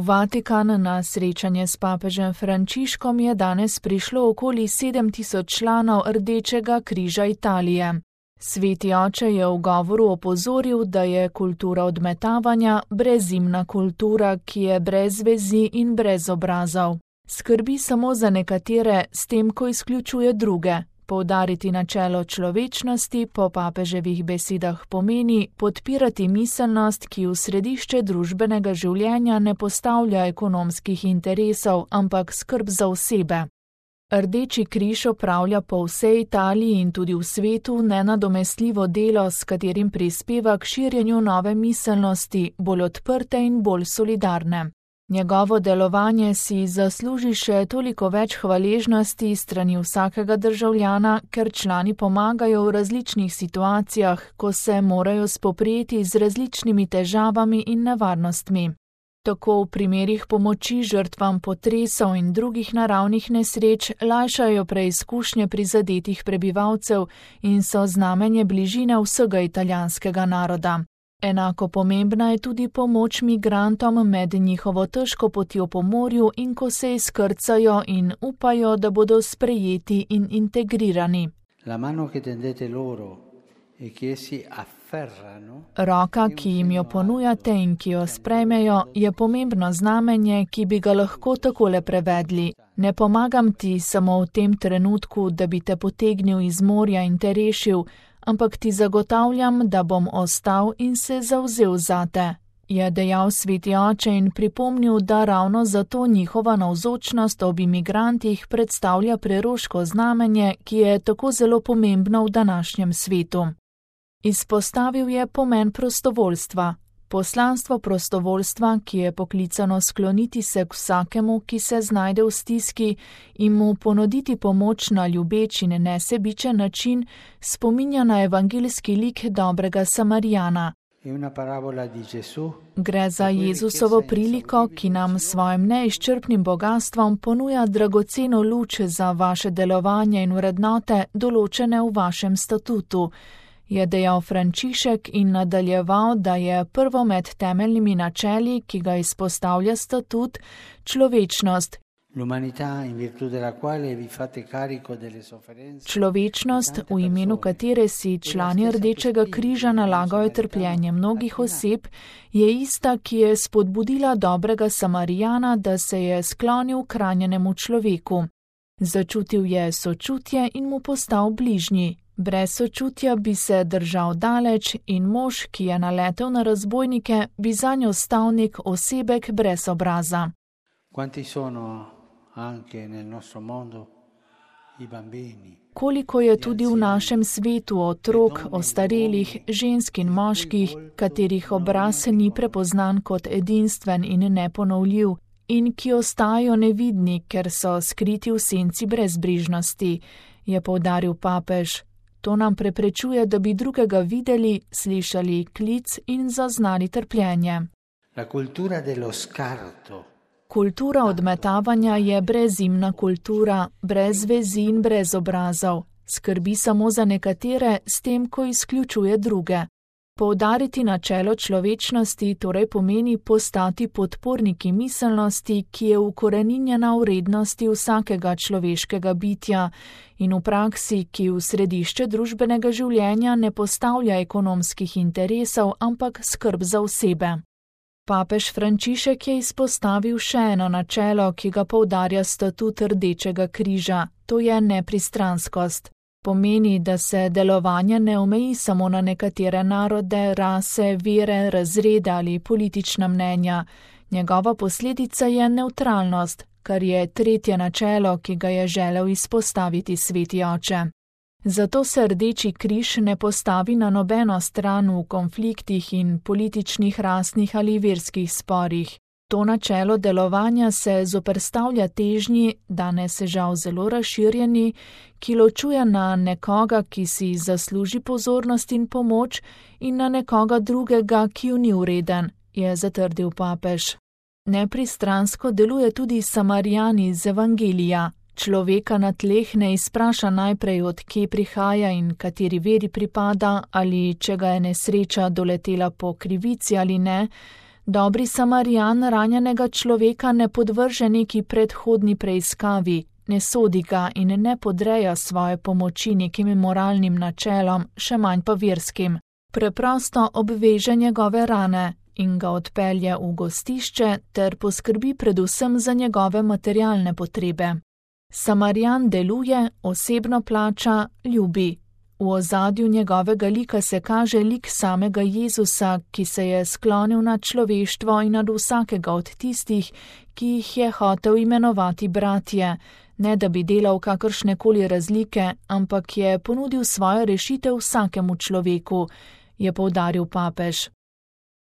Vatikan na srečanje s papežem Frančiškom je danes prišlo okoli 7.000 članov Rdečega križa Italije. Sveti oče je v govoru opozoril, da je kultura odmetavanja brezimna kultura, ki je brez vezi in brez obrazov. Skrbi samo za nekatere, s tem, ko izključuje druge. Poudariti načelo človečnosti po papeževih besedah pomeni podpirati miselnost, ki v središče družbenega življenja ne postavlja ekonomskih interesov, ampak skrb za osebe. Rdeči križ opravlja po vsej Italiji in tudi v svetu nenadomestljivo delo, s katerim prispeva k širjenju nove miselnosti, bolj odprte in bolj solidarne. Njegovo delovanje si zasluži še toliko več hvaležnosti strani vsakega državljana, ker člani pomagajo v različnih situacijah, ko se morajo spoprijeti z različnimi težavami in nevarnostmi. Tako v primerih pomoči žrtvam potresov in drugih naravnih nesreč lajšajo preizkušnje prizadetih prebivalcev in so znamenje bližine vsega italijanskega naroda. Enako pomembna je tudi pomoč migrantom med njihovo težko potjo po morju in ko se izkrcajo in upajo, da bodo sprejeti in integrirani. Roka, ki jim jo ponujate in ki jo sprejmejo, je pomembno znamenje, ki bi ga lahko takole prevedli. Ne pomagam ti samo v tem trenutku, da bi te potegnil iz morja in te rešil, ampak ti zagotavljam, da bom ostal in se zavzel zate, je dejal sveti oče in pripomnil, da ravno zato njihova navzočnost ob imigrantih predstavlja preroško znamenje, ki je tako zelo pomembno v današnjem svetu. Izpostavil je pomen prostovoljstva. Poslanstvo prostovoljstva, ki je poklicano skloniti se k vsakemu, ki se znajde v stiski in mu ponuditi pomoč na ljubeč in nesebičen način, spominja na evangeljski lik dobrega Samarijana. Gre za Jezusovo priliko, ki nam s svojim neizčrpnim bogastvom ponuja dragoceno luč za vaše delovanje in vrednote, določene v vašem statutu, je dejal Frančišek in nadaljeval, da je prvo med temeljnimi načeli, ki ga izpostavlja statut, človečnost. Človečnost, v imenu katere si člani Rdečega križa nalagajo trpljenje mnogih oseb, je ista, ki je spodbudila dobrega Samarijana, da se je sklonil k ranjenemu človeku. Začutil je sočutje in mu postal bližnji. Brez sočutja bi se držal daleč in mož, ki je naletel na razbojnike, bi zanj ostal nek osebek brez obraza. Koliko je tudi v našem svetu otrok, ostarelih, žensk in moških, katerih obraz ni prepoznan kot edinstven in neponovljiv in ki ostajajo nevidni, ker so skriti v senci brezbrižnosti, je poudaril papež. To nam preprečuje, da bi drugega videli, slišali klic in zaznali trpljenje. Kultura odmetavanja je brezimna kultura, brez vezi in brez obrazov. Skrbi samo za nekatere, s tem, ko izključuje druge. Poudariti načelo človečnosti torej pomeni postati podporniki miselnosti, ki je ukoreninjena v vrednosti vsakega človeškega bitja in v praksi, ki v središče družbenega življenja ne postavlja ekonomskih interesov, ampak skrb za osebe. Papež Frančišek je izpostavil še eno načelo, ki ga poudarja statut Rdečega križa, to je nepristranskost. Pomeni, da se delovanje ne omeji samo na nekatere narode, rase, vere, razrede ali politična mnenja. Njegova posledica je nevtralnost, kar je tretje načelo, ki ga je želel izpostaviti sveti oče. Zato se Rdeči križ ne postavi na nobeno stran v konfliktih in političnih, rasnih ali verskih sporih. To načelo delovanja se zoperstavlja težnji, danes žal zelo razširjeni, ki ločuje na nekoga, ki si zasluži pozornost in pomoč, in na nekoga drugega, ki ju ni vreden, je zatrdil papež. Nepristransko deluje tudi Samarijan iz Evangelija. Človeka na tleh ne izpraša najprej, od kje prihaja in kateri veri pripada, ali če ga je nesreča doletela po krivici ali ne, Dobri Samarijan ranjenega človeka ne podvrže neki predhodni preiskavi, ne sodi ga in ne podreja svoje pomoči nekim moralnim načelom, še manj pa verskim. Preprosto obveže njegove rane in ga odpelje v gostišče ter poskrbi predvsem za njegove materialne potrebe. Samarijan deluje, osebno plača, ljubi. V ozadju njegovega lika se kaže lik samega Jezusa, ki se je sklonil nad človeštvo in nad vsakega od tistih, ki jih je hotel imenovati bratje, ne da bi delal kakršnekoli razlike, ampak je ponudil svojo rešitev vsakemu človeku, je poudaril papež.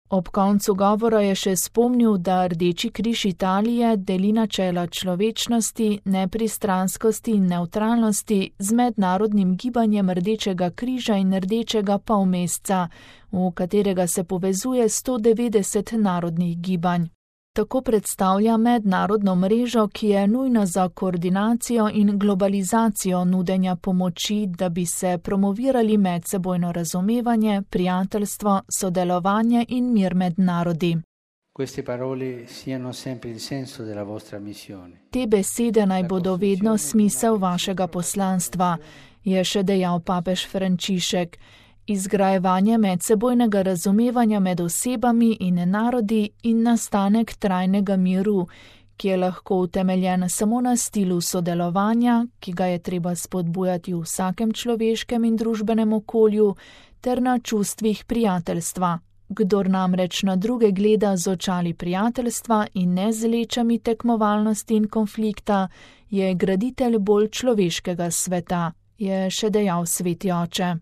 Ob koncu govora je še spomnil, da Rdeči križ Italije deli načela človečnosti, nepristranskosti in nevtralnosti z mednarodnim gibanjem Rdečega križa in Rdečega polmesca, v katerega se povezuje 190 narodnih gibanj. Tako predstavlja mednarodno mrežo, ki je nujna za koordinacijo in globalizacijo nudenja pomoči, da bi se promovirali medsebojno razumevanje, prijateljstvo, sodelovanje in mir med narodi. Te besede naj bodo vedno smisel vašega poslanstva, je še dejal papež Frančišek. Izgrajevanje medsebojnega razumevanja med osebami in narodi in nastanek trajnega miru, ki je lahko utemeljen samo na stilu sodelovanja, ki ga je treba spodbujati v vsakem človeškem in družbenem okolju, ter na čustvih prijateljstva. Kdor namreč na druge gleda z očali prijateljstva in ne z lečami tekmovalnosti in konflikta, je graditelj bolj človeškega sveta, je še dejal sveti oče.